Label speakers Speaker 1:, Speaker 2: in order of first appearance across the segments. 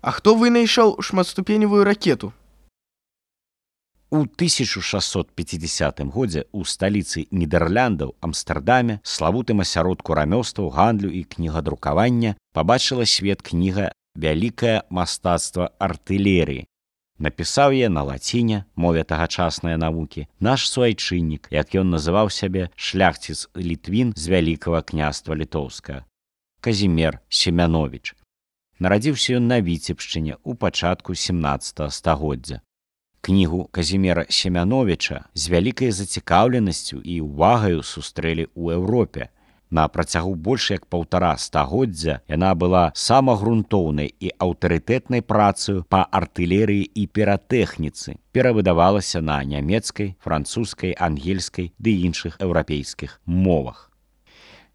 Speaker 1: А хто вынайшаў шматступеневую ракету?
Speaker 2: У 1650 годзе ў сталіцы Нідэрляндаў Амстэрдаме, славутым асяродку рамёстваў, гандлю і кнігадрукавання, пабачыла свет кніга «Вялікае мастацтва артылерыі». Напісаў яе на лаціне, мове тагачаснай навукі, наш суайчыннік, як ён называў сябе, шляхціц Літвін з Вялікага княства Літоўскага, Казімер Семяновіч. Нарадзіўся ён на Віцебшчыне ў пачатку 17 стагоддзя. Кнігу Казімера Семяновіча з вялікай зацікаўленасцю і ўвагаю сустрэлі ў Еўропе. На працягу больш як 1,5 стагоддзя яна была самагрунтоўнай і аўтарытэтнай працаю па артылерыі і піратэхніцы, перавыдавалася на нямецкай, французскай, ангельскай ды іншых еўрапейскіх мовах.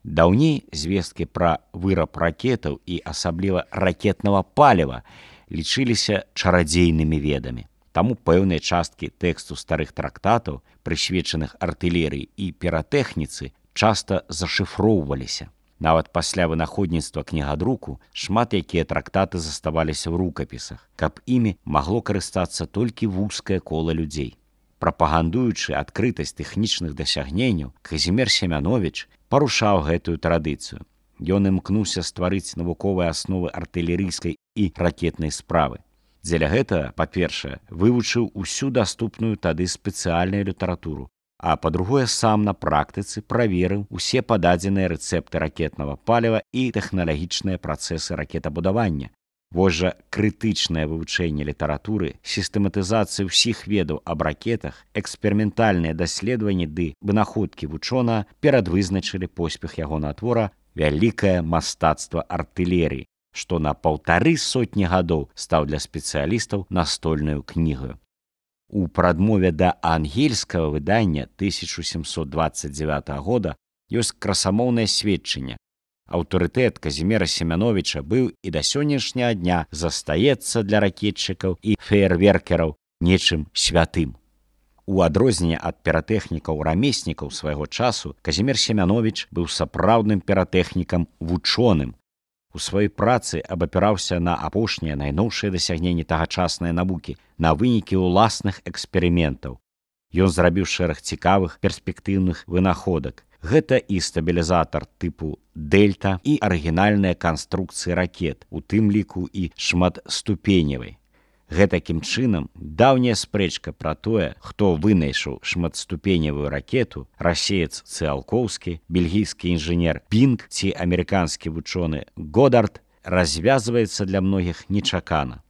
Speaker 2: Даўней звесткі пра выраб ракетаў і асабліва ракетнага паліва лічыліся чарадзейнымі ведамі. Таму пэўныя часткі тэксту старых трактатаў, прысвечаных артылерыі і піратэхніцы, часта зашыфроўваліся. Нават пасля вынаходніцтва кнігадруку шмат якія трактаты заставаліся ў рукапісах, каб імі магло карыстацца толькі вузкае кола людзей. Прапагандуючы адкрытасць тэхнічных дасягненняў, Казімер Семяновіч парушаў гэтую традыцыю. Ён імкнуўся стварыць навуковыя асновы артылерыйскай і ракетнай справы. Дзеля гэтага, па-першае, вывучыў усю даступную тады спецыяльную літаратуру, а па-другое, сам на практыцы праверыў усе пададзеныя рэцэпты ракетнага паліва і тэхналагічныя працэсы ракетабудавання. Вось жа крытычнае вывучэнне літаратуры, сістэматызацыя ўсіх ведаў аб ракетах, эксперыментальныя даследаванні ды вынаходкі вучонага перадвызначылі поспех ягонага твора «Вялікае мастацтва артылерыі», што на 1,5 гадоў стаў для спецыялістаў настольнаю кнігаю. У прадмове да ангельскага выдання 1729 года ёсць красамоўнае сведчанне. Аўтарытэт Казімера Семяновіча быў і да сённяшняга дня застаецца для ракетчыкаў і феерверкераў нечым святым. У адрозненне ад піратэхнікаў-рамеснікаў свайго часу, Казімер Семяновіч быў сапраўдным піратэхнікам-вучоным. У сваёй працы абапіраўся на апошнія найноўшыя дасягненні тагачаснай навукі, на вынікі ўласных эксперыментаў. Ён зрабіў шэраг цікавых перспектыўных вынаходак. Гэта і стабілізатар тыпу «Дельта», і арыгінальныя канструкцыі ракет, у тым ліку і шматступеневай. Гэтакім чынам, даўняя спрэчка пра тое, хто вынайшаў шматступеневую ракету, расеец Цыалкоўскі, бельгійскі інжынер Пінг ці амерыканскі вучоны Годард, развязваецца для многіх нечакана.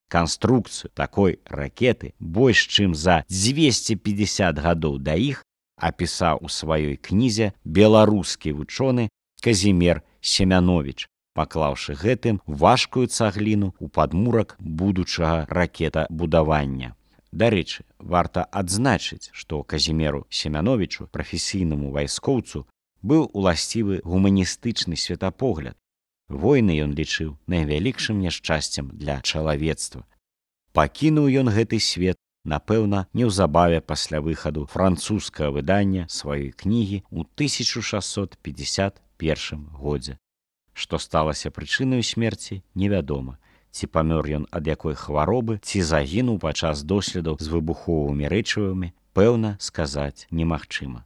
Speaker 2: Канструкцыю такой ракеты больш чым за 250 гадоў да іх апісаў у сваёй кнізе беларускі вучоны Казімер Семяновіч, паклаўшы гэтым важкую цагліну ў падмурак будучага ракетабудавання. Дарэчы, варта адзначыць, што Казімеру Семяновічу, прафесійнаму вайскоўцу, быў уласцівы гуманістычны светапогляд. Войны ён лічыў найвялікшым няшчасцем для чалавецтва. Пакінуў ён гэты свет, напэўна, неўзабаве пасля выхаду французскага выдання сваёй кнігі ў 1651 годзе. Што сталася прычынаю смерці, невядома. Ці памёр ён ад якой хваробы, ці загінуў падчас доследаў з выбуховымі рэчывамі, пэўна сказаць немагчыма.